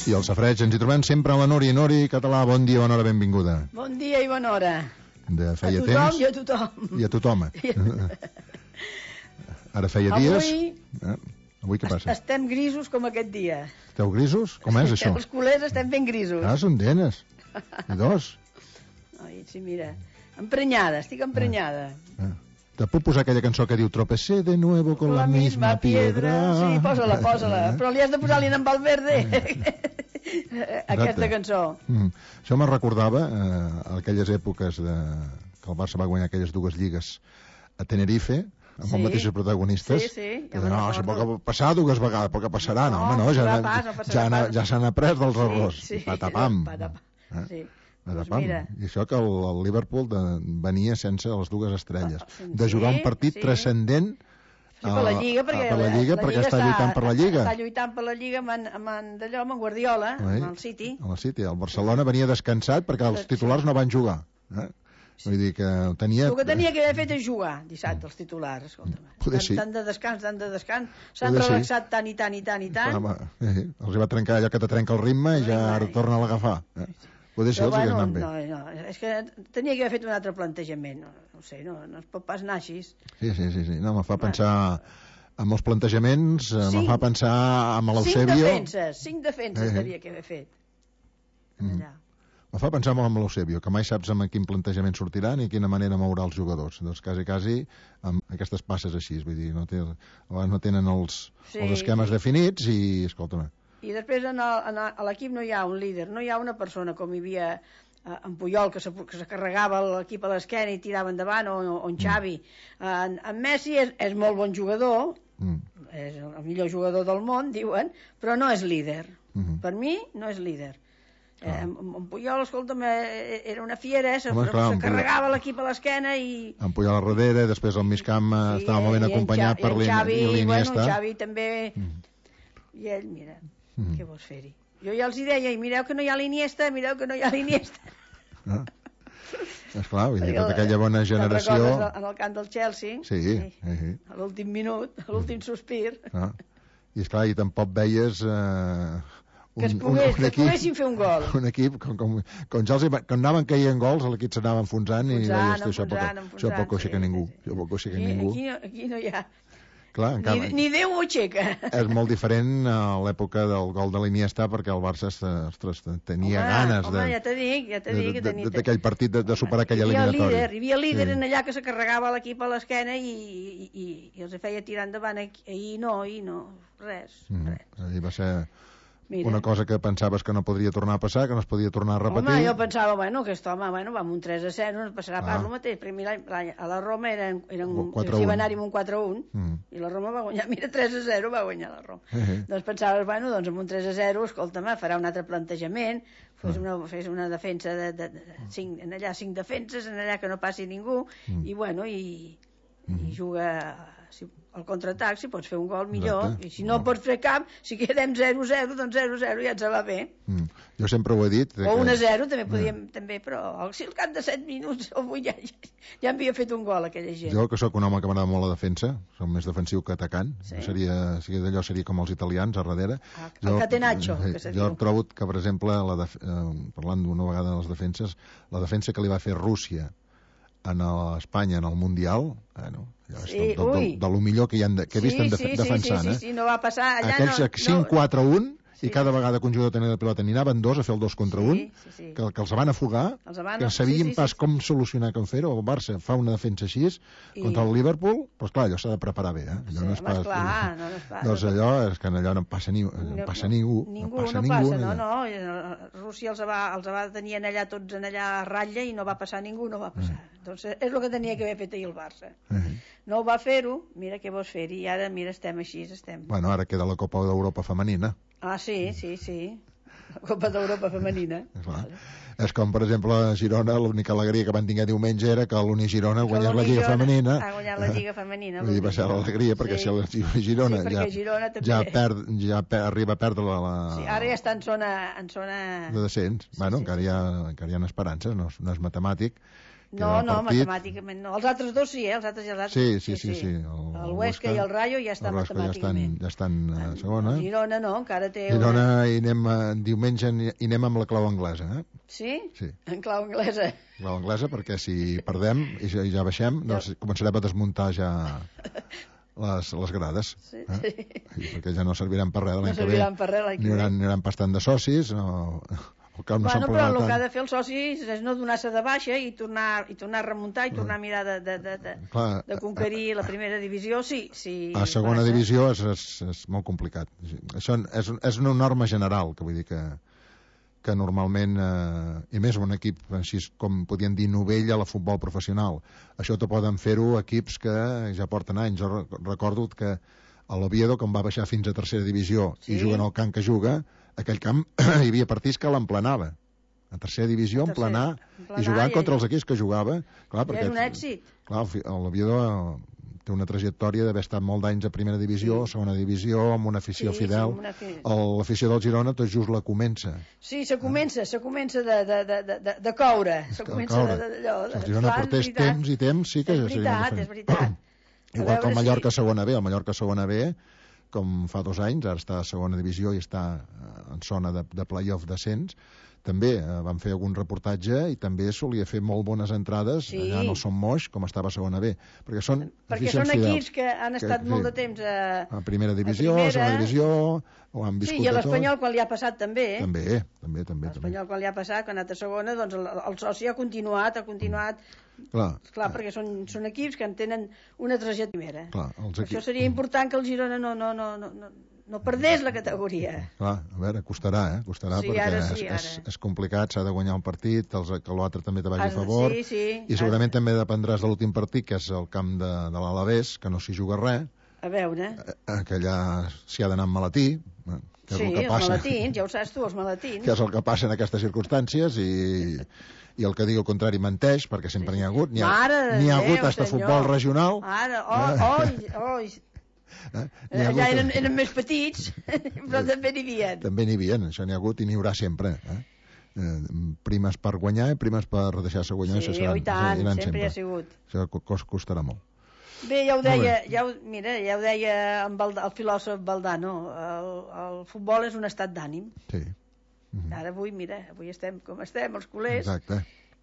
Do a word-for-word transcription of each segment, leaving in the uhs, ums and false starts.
I el safareig, ens hi trobem sempre a la Nori. Nori, català, bon dia, bona hora, benvinguda. Bon dia i bona hora. De feia a tothom temps. i a tothom. I a tothom. Ara feia Avui... dies... Eh? Avui què passa? Estem grisos com aquest dia. Esteu grisos? Com és això? Els culers estem ben grisos. Ah, són denes. I dos. Ai, sí, mira. Emprenyada, estic emprenyada. Ah. Ah. Te puc posar aquella cançó que diu Tropecé de nuevo con la, la misma piedra. Sí, posa-la, posa-la. Però li has de posar-li en Valverde. Aquesta cançó. Mm. Això me recordava eh, aquelles èpoques de... que el Barça va guanyar aquelles dues lligues a Tenerife, amb sí. els mateixos protagonistes. Sí, sí. Ja que no, això pot passar dues vegades, però que passarà, no, no home, no, ja, pas, no ja, ja, ja s'han après dels sí, errors. Sí, patapam. patapam. Eh? Sí. Pues mira. I això que el, el Liverpool de, venia sense les dues estrelles, sí, de jugar un partit sí. transcendent sí, per la Lliga, perquè, a, per la Lliga, la perquè Lliga està, està lluitant per la Lliga. Està lluitant per la Lliga amb, en, amb, en, d'allò, amb en Guardiola, Oi? amb el City. Amb el City. El Barcelona venia descansat perquè els titulars no van jugar. Eh? Vull dir que tenia... El que tenia que haver fet és jugar dissabte, els titulars, escolta'm. Poder sí. Tant de descans, tant de descans, s'han relaxat sí. tant i tant i tant i tant. Home, eh, els va trencar allò que te trenca el ritme i ja ara torna a l'agafar. Eh? Poder sí, els bueno, hagués anat bé. No, no, és que tenia que haver fet un altre plantejament, no, no sé, no, no es pot pas anar així. Sí, sí, sí, sí. No, me fa pensar en els plantejaments, cinc, me fa pensar en l'Eusebio... Cinc defenses, cinc defenses eh. devia que haver fet. Allà. Mm. Me fa pensar molt en l'Eusebio, que mai saps amb quin plantejament sortirà ni quina manera mourà els jugadors. Doncs quasi, quasi, amb aquestes passes així, vull dir, no, té, no tenen els, sí, els esquemes sí. definits i, escolta'm... I després en el, en el, a l'equip no hi ha un líder, no hi ha una persona com hi havia eh, en Puyol, que se, que se carregava l'equip a l'esquena i tirava endavant, o, o en Xavi. Mm. En, en Messi és, és molt bon jugador, mm. és el millor jugador del món, diuen, però no és líder. Mm-hmm. Per mi no és líder. Eh, en, en Puyol, escolta'm, eh, era una fiera, eh, se, Home, clar, se carregava l'equip a l'esquena i... En Puyol a darrere, després al migcamp sí, estava molt ben acompanyat per l'Iniesta. Bueno, en Xavi també... Mm. I ell, mira... Mm. Què vols fer-hi? Jo ja els hi deia, i mireu que no hi ha l'Iniesta, mireu que no hi ha l'Iniesta. Ah. Esclar, vull dir, tota aquella bona generació... En el camp del Chelsea, sí, sí. Sí. a l'últim minut, a l'últim sospir. Ah. I esclar, i tampoc veies... Eh, un, que es, pogués, un, un que equip, poguessin fer un gol. Un equip, com, com, com ja els, quan anaven caient gols, l'equip s'anava enfonsant, enfonsant i deies, això pot coixecar ningú. Això pot coixecar ningú. Aquí, aquí no hi ha... Clar, encara, ni, ni Déu ho aixeca. És molt diferent a l'època del gol de l'Iniesta, perquè el Barça ostres, tenia home, ganes home, ja te dic, ja te dic, d'aquell partit de, de superar aquella eliminatòria. Hi havia líder sí. en allà que se carregava l'equip a l'esquena i, i, i, i els feia tirar endavant. Ahir no, ahir no, res, mm, res. Ahir va ser... Mira. Una cosa que pensaves que no podria tornar a passar, que no es podia tornar a repetir. Home, jo pensava, bueno, aquest home, bueno, va amb un tres a zero, no passarà ah. pas el mateix. Primer l'any a la Roma eren, eren s'hi va anar-hi amb un quatre a un, mm. i la Roma va guanyar, mira, tres a zero va guanyar la Roma. Uh -huh. Doncs pensaves, bueno, doncs amb un tres a zero, escolta'm, farà un altre plantejament, fes una, fes una defensa de, de, de cinc, en allà cinc defenses, en allà que no passi ningú, mm. i bueno, i, mm. i juga... Si, al contraatac, si pots fer un gol millor. Exacte. I si no, no pots fer cap, si quedem zero a zero, doncs zero a zero ja ens va bé. Mm. Jo sempre ho he dit. O un a zero també podíem, mm. també, però si al cap de set minuts o vuit ja, ja, ja havia fet un gol aquella gent. Jo, que sóc un home que m'agrada molt la defensa, soc més defensiu que atacant, sí. seria, si d'allò seria com els italians a darrere. Ah, el jo, catenaccio, eh, que se jo diu. trobo que, per exemple, la def eh, parlant d'una vegada de les defenses, la defensa que li va fer Rússia en Espanya en el Mundial, bueno, ja sí, de, de, de lo millor que, hi han de, que he vist sí, en def sí, defensant, sí, sí, eh? Sí, sí, no va passar allà... Aquells no, cinc quatre un, sí, i cada sí. vegada que un jugador tenia la pilota n'hi anaven dos a fer el dos contra un, sí, sí, sí. que, que els van afugar, els van... que sabien sí, sí, pas sí, com solucionar, com fer-ho. El Barça fa una defensa així I... contra el Liverpool, doncs clar, allò s'ha de preparar bé, eh? Allò sí, no és pas... Clar, no, no és pas... Doncs allò és que allò no passa, ni, no passa ningú. Ningú, no passa no ningú. Passa, no, no. Rússia els va, els va tenir allà tots en allà a ratlla i no va passar ningú, no va passar. Mm. Doncs és el que tenia que haver fet ahir el Barça. Mm. No ho va fer-ho, mira què vols fer-hi, i ara, mira, estem així, estem... Bueno, ara queda la Copa d'Europa femenina. Ah, sí, sí, sí. La Copa d'Europa femenina. Vale. És com, per exemple, a Girona, l'única alegria que van tenir diumenge era que l'Uni Girona guanyés la Lliga Femenina. Ha guanyat la Lliga Femenina. Vull dir, va ser l'alegria, perquè sí. si la Girona, sí, ja, Girona també... ja, perd, ja per, arriba a perdre la... la... Sí, ara ja està en zona... En zona... de descens. Sí, bueno, sí, encara, sí. Hi ha, encara hi ha esperances, no, no és matemàtic. No, no, partit... matemàticament no. Els altres dos sí, eh? Els altres i els altres. Sí, sí, sí. sí, sí. El, el Huesca i el Rayo ja estan matemàticament. Ja estan a segona. El Girona no, encara té... Girona hi anem, diumenge hi anem amb la clau anglesa, eh? Sí? Sí. En clau anglesa. Clau anglesa, perquè si perdem i ja, ja baixem, doncs començarem a desmuntar ja les, les grades. Sí, eh? Sí. I perquè ja no serviran per res l'any no que ve. Per res, n'hi hauran, n'hi bastant de socis, no... El camp no bueno, però el tant. Que ha de fer el soci és no donar-se de baixa i tornar, i tornar a remuntar i tornar a mirar de, de, de, de, Clar, de conquerir la primera divisió. Sí, sí, a segona passa. Divisió és, és, és molt complicat. Això és, és una norma general, que vull dir que, que normalment, eh, i més un equip així com podien dir novell a la futbol professional. Això te poden fer-ho equips que ja porten anys. Jo recordo que a l'Oviedo, quan va baixar fins a tercera divisió sí. i juguen al camp que juga, aquell camp hi havia partits que l'emplenava. A tercera divisió, en emplenar, i jugant contra els equips que jugava. Clar, perquè, és un èxit. Clar, l'Oviedo té una trajectòria d'haver estat molt d'anys a primera divisió, sí. segona divisió, amb una afició sí, fidel. Sí, una... L'afició del Girona tot just la comença. Sí, se comença, se comença de, de, de, de, de coure. Se comença de, de, de, de, si el Girona portés temps i temps, sí que... És veritat, és veritat. Igual que el Mallorca si... segona B, el Mallorca segona B, com fa dos anys, ara està a segona divisió i està en zona de, de play-off d'ascens, també eh, van fer algun reportatge i també solia fer molt bones entrades sí. allà en el Son Moix, com estava a segona B, perquè són perquè són equips que han estat que, molt de temps a, a primera divisió, a, primera... a segona divisió, o han viscut sí, i a l'Espanyol quan li ha passat també. Eh? També, també, també. L'Espanyol quan li ha passat, quan ha anat a segona, doncs el, el soci ha continuat, ha continuat... Clar, clar perquè són, són equips que en tenen una trajectòria. Clar, els equips... Això seria important que el Girona no, no, no, no, no, no perdés la categoria. Clar, a veure, costarà, eh? Costarà sí, perquè sí, és, és, és complicat, s'ha de guanyar un partit, els, que l'altre també te vagi a favor, sí, sí, i segurament ara... també dependràs de l'últim partit, que és el camp de, de l'Alavés, que no s'hi juga res. A veure... Eh, que allà s'hi ha d'anar amb malatí, eh, que és sí, el que passa. els malatins, ja ho saps tu, els malatins. Que és el que passa en aquestes circumstàncies, i... i el que digui el contrari menteix, perquè sempre n'hi ha hagut, n'hi ha, ha hagut fins a futbol regional. Ara, oh, oh, oh. Eh? Allà eren, eren més petits, però també n'hi havia. També n'hi havia, això n'hi ha hagut i n'hi haurà sempre. Eh? Eh, primes per guanyar i primes per deixar-se guanyar. Sí, seran, i tant, sempre, sempre hi ha sigut. Això costarà molt. Bé, ja ho deia, ja ho, mira, ja ho deia amb el, el filòsof Valdano, el, el futbol és un estat d'ànim. Sí. Mm-hmm. Ara avui, mira, avui estem com estem, els culers. Exacte.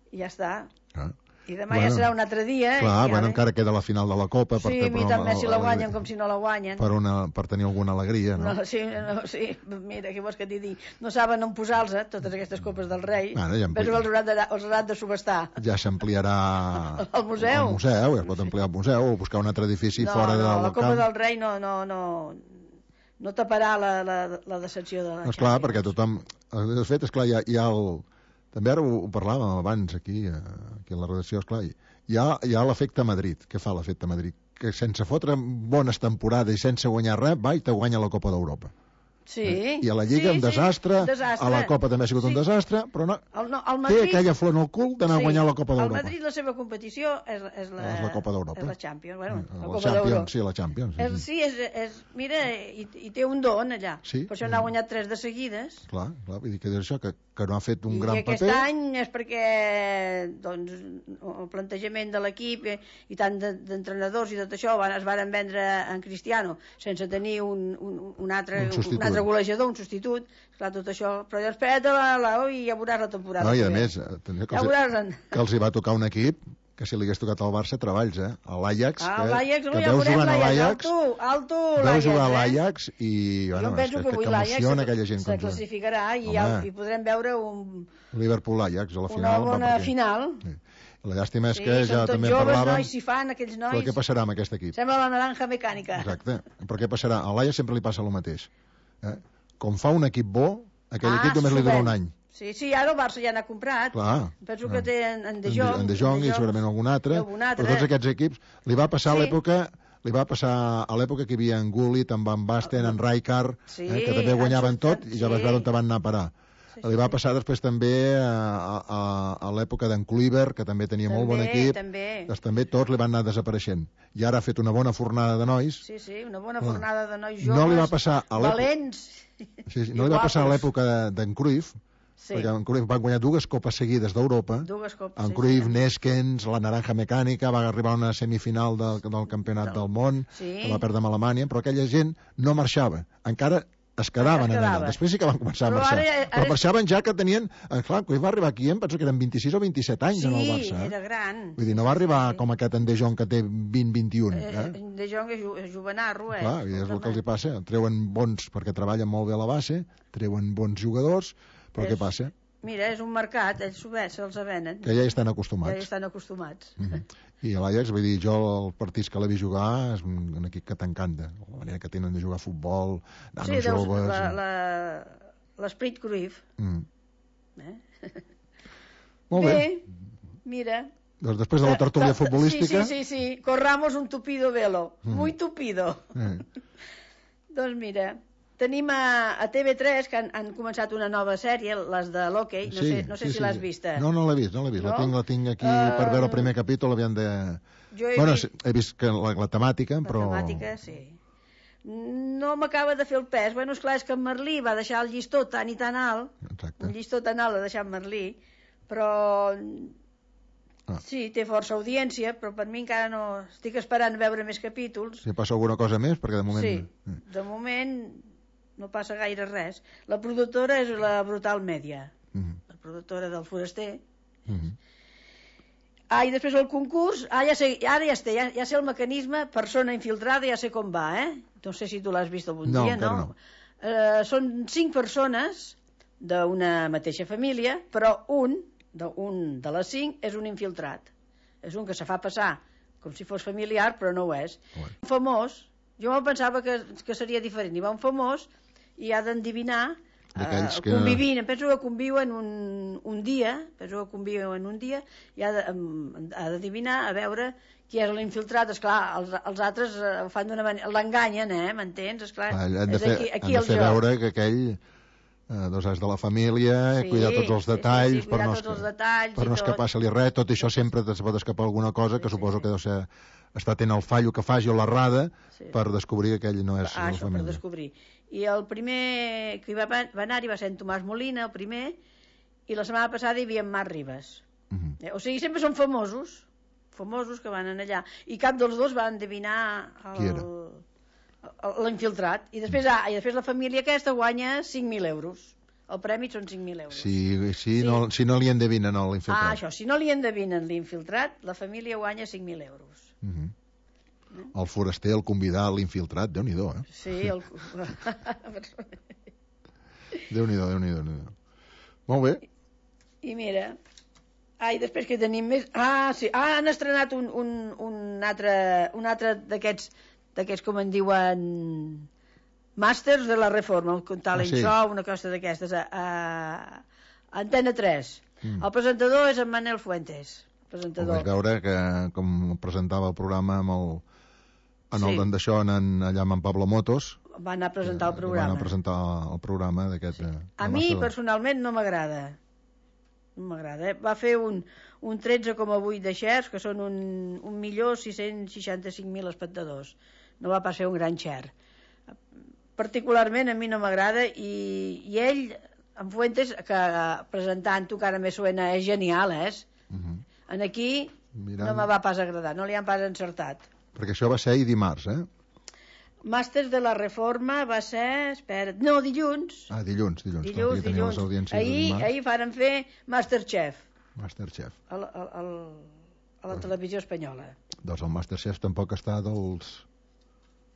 I ja està. Ah. I demà bueno, ja serà un altre dia. Clar, i bueno, encara queda la final de la Copa. Sí, per, mira, també si la guanyen com si no la guanyen. Per, una, per tenir alguna alegria, no? no sí, no, sí, mira, què vols que t'hi digui? No saben on posar-los, eh, totes aquestes copes del rei. Bueno, ja però els hauran de, els hauran de subestar. Ja s'ampliarà al museu. Al museu, ja es pot ampliar al museu, o buscar un altre edifici no, fora no, del camp. No, la Copa del Rei no... no, no no taparà la, la, la decepció de la Champions. Esclar, perquè tothom... De fet, esclar, hi ha, hi ha el... També ara ho, ho parlàvem abans aquí, aquí a la redacció, esclar, hi ha, hi ha l'efecte Madrid. Què fa l'efecte Madrid? Que sense fotre bones temporades i sense guanyar res, va i te guanya la Copa d'Europa. Sí. I a la Lliga sí, un desastre, sí, desastre, a la Copa també ha sigut sí. un desastre, però no, el, no el Madrid, té aquella flor en el cul d'anar sí. a guanyar la Copa d'Europa. El Madrid, la seva competició és, és, la, és la Copa d'Europa. És la Champions, bueno, la, la Copa Champions, sí, la Champions. Sí, és, sí és, és, mira, i, i té un don allà. Sí, per això n'ha guanyat tres de seguides. Clar, clar, vull dir que és això, que, que no ha fet un I gran paper. I aquest any és perquè doncs, el plantejament de l'equip i, i tant d'entrenadors i tot això van, es varen vendre en Cristiano sense tenir un, un, un, altre, un, un altre golejador, un substitut. Clar, tot això, però ja espera't la, la, i ja veuràs la temporada. No, i a més, que els, ja que els hi va tocar un equip que si li hagués tocat al Barça treballs, eh? A l'Ajax, ah, que, l'Ajax, que ja veus jugant a l'Ajax, alto, alto veus jugar a eh? l'Ajax i, bueno, jo penso és, que, que, que emociona aquella gent. Se classificarà i, ja, i podrem veure un... Liverpool-Ajax a la final. Una bona perquè... final. Sí. La llàstima és sí, que ja també joves, parlàvem... nois, si fan, aquells nois... Però què passarà amb aquest equip? Sembla la naranja mecànica. Exacte. Però què passarà? A l'Ajax sempre li passa el mateix. Eh? Com fa un equip bo, aquell ah, equip només li dura un any. Sí, sí, ara el Barça ja n'ha comprat. Clar. Penso que té en, en De Jong. En De Jong i segurament algun altre. algun altre. Però tots aquests equips li va passar sí. a l'època... Li va passar a l'època que hi havia en Gullit, en Van Basten, en Rijkaard, sí, eh, que també guanyaven tot i ja vas sí. veure on van anar a parar. Sí, sí, li va passar després també a, a, a l'època d'en Kluivert, que també tenia també, molt bon equip. També. Doncs també tots li van anar desapareixent. I ara ha fet una bona fornada de nois. Sí, sí, una bona fornada de nois joves, no li va passar a valents. Sí, sí, no li va passar a l'època d'en Cruyff, perquè en Cruyff van guanyar dues copes seguides d'Europa, en Cruyff, Neskens, la Naranja Mecànica, va arribar a una semifinal del, del campionat del món, que va perdre amb Alemanya, però aquella gent no marxava, encara es quedaven en allà. Després sí que van començar a marxar. Ara, ara... Però marxaven ja que tenien... Clar, quan va arribar aquí, em penso que eren vint-i-sis o vint-i-set anys sí, en el Barça. Sí, era gran. Vull dir, no va arribar sí, sí. com aquest en De Jong que té vint vint i un. Eh? Eh, De Jong és, ju és juvenarro, eh? Clar, és el que els hi passa. Treuen bons, perquè treballen molt bé a la base, treuen bons jugadors, però és... què passa? Mira, és un mercat, ells se'ls venen. Que ja hi estan acostumats. Ja hi estan acostumats. Mm -hmm. I a l'Ajax, vull dir, jo els partits que l'he vist jugar és un equip que t'encanta. La manera que tenen de jugar a futbol, nanos sí, joves... Sí, l'esprit Cruyff. Mm. Eh? Molt bé. Bé, mira... Doncs després de la tertúlia futbolística... Sí, sí, sí, sí. Corramos un tupido velo. Mm. Muy tupido. Eh. Doncs mira... Tenim a, a T V tres, que han, han començat una nova sèrie, les de l'hoquei, no, sí, sé, no sé sí, si sí, l'has vista. No, no l'he vist, no l'he vist. No? La, tinc, la tinc aquí uh, per veure el primer capítol, aviam de... Jo he, bueno, vist... he vist que la, la temàtica, la però... La temàtica, sí. No m'acaba de fer el pes. Bueno, esclar, és que en Merlí va deixar el llistó tan i tan alt, exacte. Un llistó tan alt l'ha deixat Merlí, però... Ah. Sí, té força audiència, però per mi encara no... Estic esperant veure més capítols. Si passa alguna cosa més, perquè de moment... Sí, de moment... no passa gaire res. La productora és la Brutal Media, mm-hmm. la productora del Foraster. Mm-hmm. Ah, i després el concurs, ah, ja sé, ara ja, sé, ja, ja sé el mecanisme, persona infiltrada, ja sé com va, eh? No sé si tu l'has vist algun no, dia, no? no. Eh, són cinc persones d'una mateixa família, però un de, un de les cinc és un infiltrat. És un que se fa passar com si fos familiar, però no ho és. Bueno. Un famós, jo me'l pensava que, que seria diferent. Hi va un famós i ha d'endevinar eh, que... convivint, em penso que conviuen un, un dia, penso que conviuen un dia i ha d'endevinar a veure qui és l'infiltrat. Esclar, els, els altres ho fan d'una manera, l'enganyen, eh, m'entens? Esclar, ah, han de fer, aquí, aquí han de fer veure que aquell eh, doncs és de la família, sí, cuidar tots els detalls, sí, sí, sí, per no, tots els detalls per no escapar-se-li res, tot això sempre es pot escapar alguna cosa, que sí, suposo sí. que deu ser està tenint el fallo que faci o l'errada sí. per descobrir que aquell no és ah, de la família. Per descobrir. I el primer que hi va, va anar-hi va ser en Tomàs Molina, el primer, i la setmana passada hi havia en Marc Ribas. Uh -huh. eh, o sigui, sempre són famosos, famosos que van allà, i cap dels dos va endevinar l'infiltrat. I després, ah, i després la família aquesta guanya cinc mil euros. El premi són cinc mil euros. Sí, sí, sí. No, si no li endevinen l'infiltrat. Ah, això, si no li endevinen l'infiltrat, la família guanya cinc mil euros. Uh -huh. El foraster, el convidar l'infiltrat, Déu-n'hi-do, eh? Sí, el... Déu-n'hi-do, Déu-n'hi-do, Déu-n'hi-do. Molt bé. I, i mira... Ah, i després que tenim més... Ah, sí, ah, han estrenat un, un, un altre, un altre d'aquests, d'aquests, com en diuen... Màsters de la Reforma, un talent ah, sí. show, una cosa d'aquestes, a, a Antena tres. Mm. El presentador és en Manel Fuentes. Presentador. Vaig veure que, com presentava el programa amb el, en sí. el d'en d'això, allà amb en Pablo Motos, va anar a presentar el programa. Va anar a presentar el programa d'aquest... Sí. A mi, de... personalment, no m'agrada. No m'agrada, eh? Va fer un, un tretze coma vuit de shares, que són un, un milió sis-cents seixanta-cinc mil espectadors. No va pas fer un gran share. Particularment a mi no m'agrada, i, i ell, en Fuentes, que presentant-ho, que ara me suena, és genial, eh? Uh -huh. En aquí Mirant... no me va pas agradar, no li han pas encertat. Perquè això va ser ahir dimarts, eh? Màsters de la Reforma va ser... Espera, no, dilluns. Ah, dilluns, dilluns. Dilluns, dilluns. Ahir, ahir varen fer Masterchef. Masterchef. A la, a, a, a la televisió espanyola. Doncs el Masterchef tampoc està dels...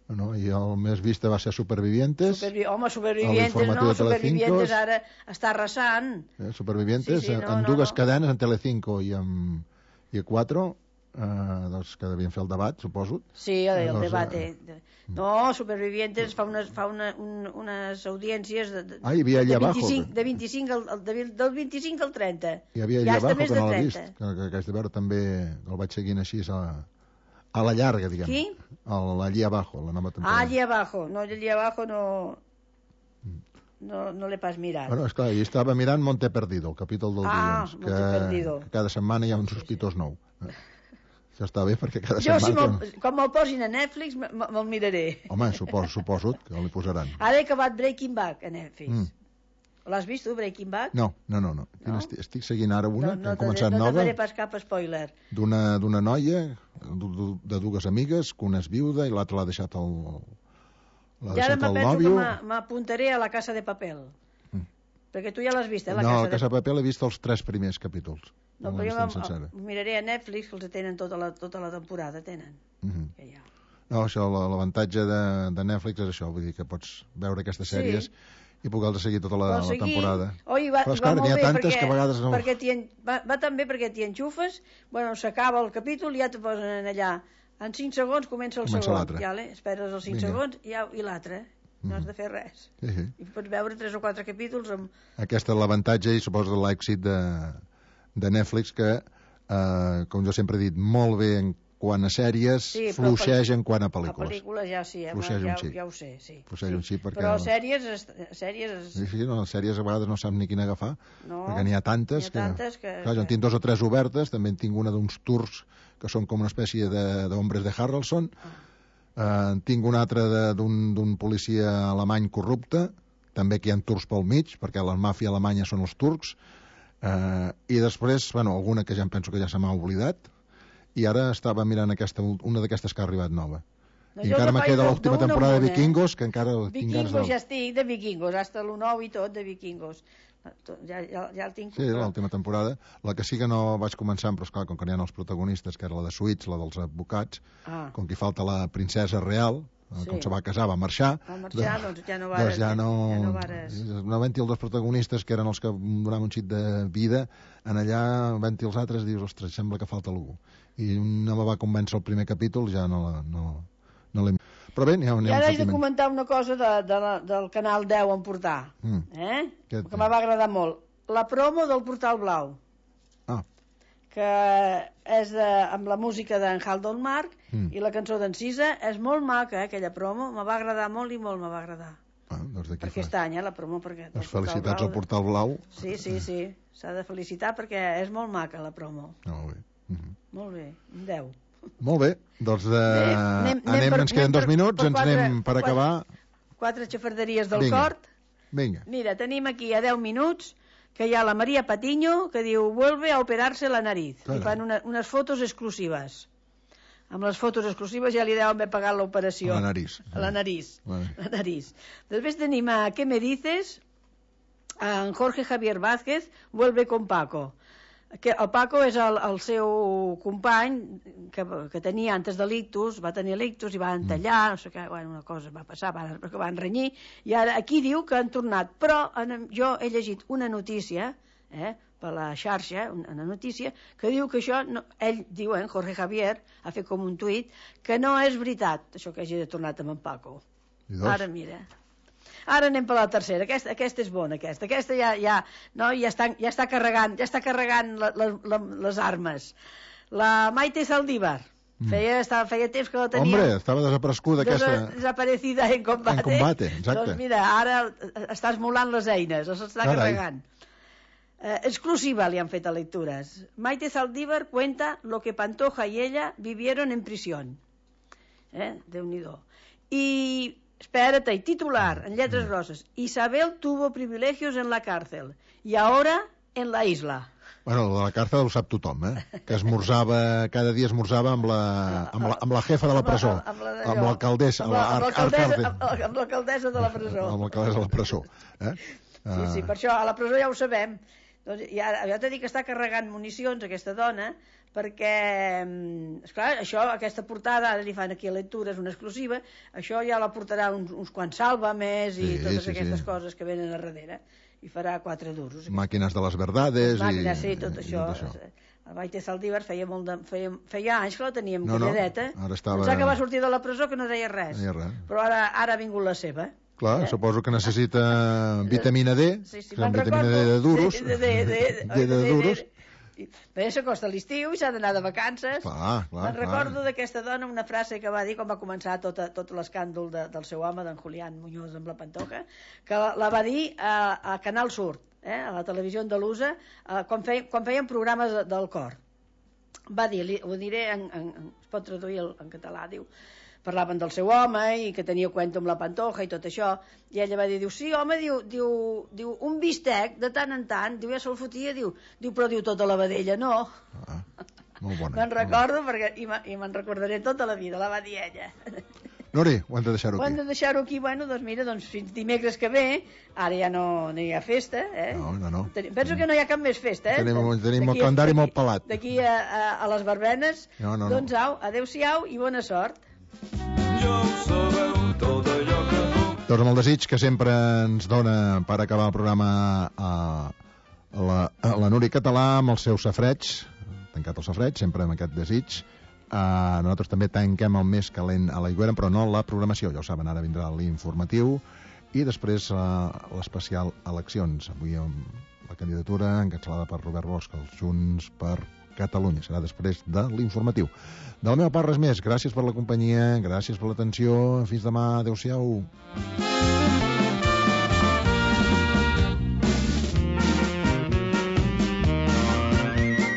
No, i el més vist va ser Supervivientes. Supervi... Home, Supervivientes, no, Supervivientes ara està arrasant. Eh, Supervivientes, sí, sí, no, en dues no, no. cadenes, en Telecinco i en i a quatre, eh, doncs que devien fer el debat, suposo. Sí, el, el doncs, debat. Eh... No, Supervivientes fa unes, fa una, un, unes audiències de, de, ah, hi havia allà de vint-i-cinc, abajo. De vint-i-cinc al, del, del vint-i-cinc al trenta. Hi havia allà ja abajo, que no l'ha vist, que, que, que haig de veure també, el vaig seguint així a... a la llarga, diguem. Qui? El, allí abajo, la nova temporada. Ah, allí abajo. No, allí abajo no... No, no l'he pas mirat. Bueno, esclar, jo estava mirant Monte Perdido, el capítol del ah, dilluns, que, que cada setmana hi ha un sospitós sí, sí. nou. Això està bé, perquè cada jo, setmana... Si quan me'l posin a Netflix, me'l miraré. Home, suposo, suposo que li posaran. Ara he acabat Breaking Bad a Netflix. Mm. L'has vist tu, Breaking Bad? No, no, no. no. no? Estic, estic seguint ara una, no, que no hem començat no nova. No te faré pas cap spoiler. D'una noia, de dues amigues, que una és viuda i l'altra l'ha deixat el, l'ha ja deixat ara el penso nòvio. que m'apuntaré a La Casa de Papel. Mm. Perquè tu ja l'has vist, eh, La no, Casa La Casa de de Papel he vist els tres primers capítols. No, però jo miraré a Netflix, que els tenen tota la, tota la temporada, tenen. Mm -hmm. que ja. No, això, l'avantatge de, de Netflix és això, vull dir que pots veure aquestes sèries sí. i poder seguir tota la, la temporada. Oi, va, però és clar, n'hi ha tantes perquè, que a vegades no... Perquè va, va tan bé perquè t'hi enxufes, bueno, s'acaba el capítol i ja te posen allà. En cinc segons comença el comença segon. Ja, esperes els cinc Vinga. segons i, ja, i l'altre. No has de fer res. Sí, sí. I pots veure tres o quatre capítols amb... Aquest és l'avantatge i suposo de l'èxit de, de Netflix que, eh, com jo sempre he dit, molt bé en quant a sèries, sí, fluixeix en quant a pel·lícules. A pel·lícules ja sí, ja, ja, ja ho sé, sí. Fluixeix un xic perquè... Però sèries... sèries... Sí, sí, no, sèries a vegades no saps ni quina agafar, no, perquè n'hi ha tantes, ha tantes que... que... Clar, jo en tinc dos o tres obertes, també en tinc una d'uns turcs que són com una espècie d'hombres de, de Harrelson, ah. eh, tinc una altra d'un policia alemany corrupte, també que hi ha turcs pel mig, perquè la màfia alemanya són els turcs, eh, i després, bueno, alguna que ja em penso que ja se m'ha oblidat, i ara estava mirant aquesta, una d'aquestes que ha arribat nova. No, I encara me queda l'última temporada de Vikingos, eh? que encara tinc ganes de... Vikingos ja estic, de Vikingos, hasta l'u nou i tot, de Vikingos. Ja, ja, ja el tinc... Sí, l'última temporada. La que sí que no vaig començar, però esclar, com que n'hi ha els protagonistes, que era la de Suits, la dels advocats, ah. com que hi falta la princesa real, sí. com se va casar, va marxar. Va marxar, doncs, doncs ja no vares... Doncs ja no, ja no vares... No havent-hi els dos protagonistes, que eren els que donaven un xic de vida, en allà, havent-hi els altres, dius, ostres, sembla que falta algú. I no me va convèncer el primer capítol, ja no l'he... No, no però bé, n'hi ha, ha I ara he de comentar una cosa de, de la, del Canal deu en portar, mm. eh? que, que m'ha agradat molt. La promo del Portal Blau. Ah. Que és de, amb la música d'en Haldon Mark mm. i la cançó d'en Cisa. És molt maca, eh, aquella promo. Me va agradar molt i molt me va agradar. Ah, doncs per aquest any, eh, la promo. Perquè doncs felicitats al Portal Blau. Sí, sí, sí. S'ha de felicitar perquè és molt maca la promo. Molt bé. Mm -hmm. Molt bé, un deu. Molt bé, doncs de... bé, anem, anem, anem per, ens queden dos minuts, per, per ens quatre, anem per acabar. Quatre, quatre xafarderies del Vinga. Cort. Vinga. Mira, tenim aquí a deu minuts que hi ha la Maria Patiño que diu vuelve a operarse la nariz. Carai. I fan una, unes fotos exclusives. Amb les fotos exclusives ja li deuen haver pagat l'operació. A la nariz. A la nariz. Vale. La nariz. Després tenim a ¿Qué me dices? En Jorge Javier Vázquez vuelve con Paco. Que el Paco és el, el seu company que, que tenia antes de l'ictus, va tenir l'ictus i van tallar, no sé què, bueno, una cosa va passar, van, que van renyir, i ara aquí diu que han tornat, però en, jo he llegit una notícia, eh, per la xarxa, una notícia, que diu que això, no, ell diu, eh, Jorge Javier, ha fet com un tuit, que no és veritat, això que hagi de tornat amb en Paco. Ara mira... Ara anem per la tercera. Aquesta, aquesta és bona, aquesta. Aquesta ja, ja, no, ja, està, ja està carregant, ja està carregant la, la, la, les armes. La Maite Saldívar. Mm. Feia, estava, feia temps que la tenia... Hombre, estava desapareguda aquesta... Desaparecida en combate. En combate, exacte. Doncs mira, ara està esmolant les eines, les està Carai. carregant. Eh, exclusiva li han fet a lectures. Maite Saldívar cuenta lo que Pantoja y ella vivieron en prisión. Eh? Déu-n'hi-do. I... Espérate, y titular, en letras grosas. Isabel tuvo privilegios en la cárcel y ahora en la isla. Bueno, de la càrcel ho sap tothom, eh? Que esmorzava, cada dia esmorzava amb la, amb la, amb la jefa de la presó, amb l'alcaldessa, amb l'alcaldessa de la presó. Amb l'alcaldessa de la presó. Eh? Sí, sí, per això a la presó ja ho sabem. Doncs, i ara, ja t'he dit que està carregant municions aquesta dona, perquè, esclar, això, aquesta portada, ara li fan aquí a lectures una exclusiva, això ja la portarà uns, uns quants sàlvames i sí, totes sí, aquestes sí. coses que venen a darrere, i farà quatre duros. Màquines de les verdades. Màquines, i, sí, tot això. I tot això. La Maite Saldívar feia, molt de, feia, feia anys que la teníem no, calladeta. No, ara estava... Pensava que va sortir de la presó que no deia res. No deia res. Però ara, ara ha vingut la seva. Clar, eh? Suposo que necessita vitamina D, sí, sí, vitamina D de duros. De, de, de, de, de, de, de duros. Bé, s'acosta l'estiu i s'ha d'anar de vacances. Clar, clar, Me'n recordo d'aquesta dona una frase que va dir quan va començar tot, tot l'escàndol de, del seu home, d'en Julián Muñoz amb la Pantoja, que la, la va dir a, a Canal Sur, eh, a la televisió andalusa, eh, quan, fei, quan feien programes de, del cor. va dir, li, ho diré, en, en, es pot traduir en català, diu, parlaven del seu home i que tenia cuento amb la Pantoja i tot això, i ella va dir, diu, sí, home, diu, diu, diu un bistec de tant en tant, diu, ja se'l fotia, diu, diu, però diu tota la vedella, no. Ah, molt bona. Me'n recordo, perquè, i me'n recordaré tota la vida, la va dir ella. Nori, ho hem de deixar-ho aquí. Ho hem de deixar-ho aquí, bueno, doncs mira, doncs fins dimecres que ve, ara ja no, no hi ha festa, eh? No, no, no. Penso que no hi ha cap més festa, eh? Tenim, tenim el calendari molt pelat. D'aquí a, a, a les verbenes, no, no, doncs no. au, adeu-siau i bona sort. Ja ho sabeu, tot allò que puc. Doncs amb el desig que sempre ens dona per acabar el programa a la, a la Núria Català amb el seu safreig, tancat el safreig, sempre amb aquest desig. Uh, nosaltres també tanquem el més calent a l'Aigüera, però no la programació, ja ho saben, ara vindrà l'informatiu i després uh, l'especial eleccions, avui amb la candidatura encapçalada per Robert Bosch, els Junts per Catalunya, serà després de l'informatiu. De la meva part res més, gràcies per la companyia, gràcies per l'atenció, fins demà, adeu-siau.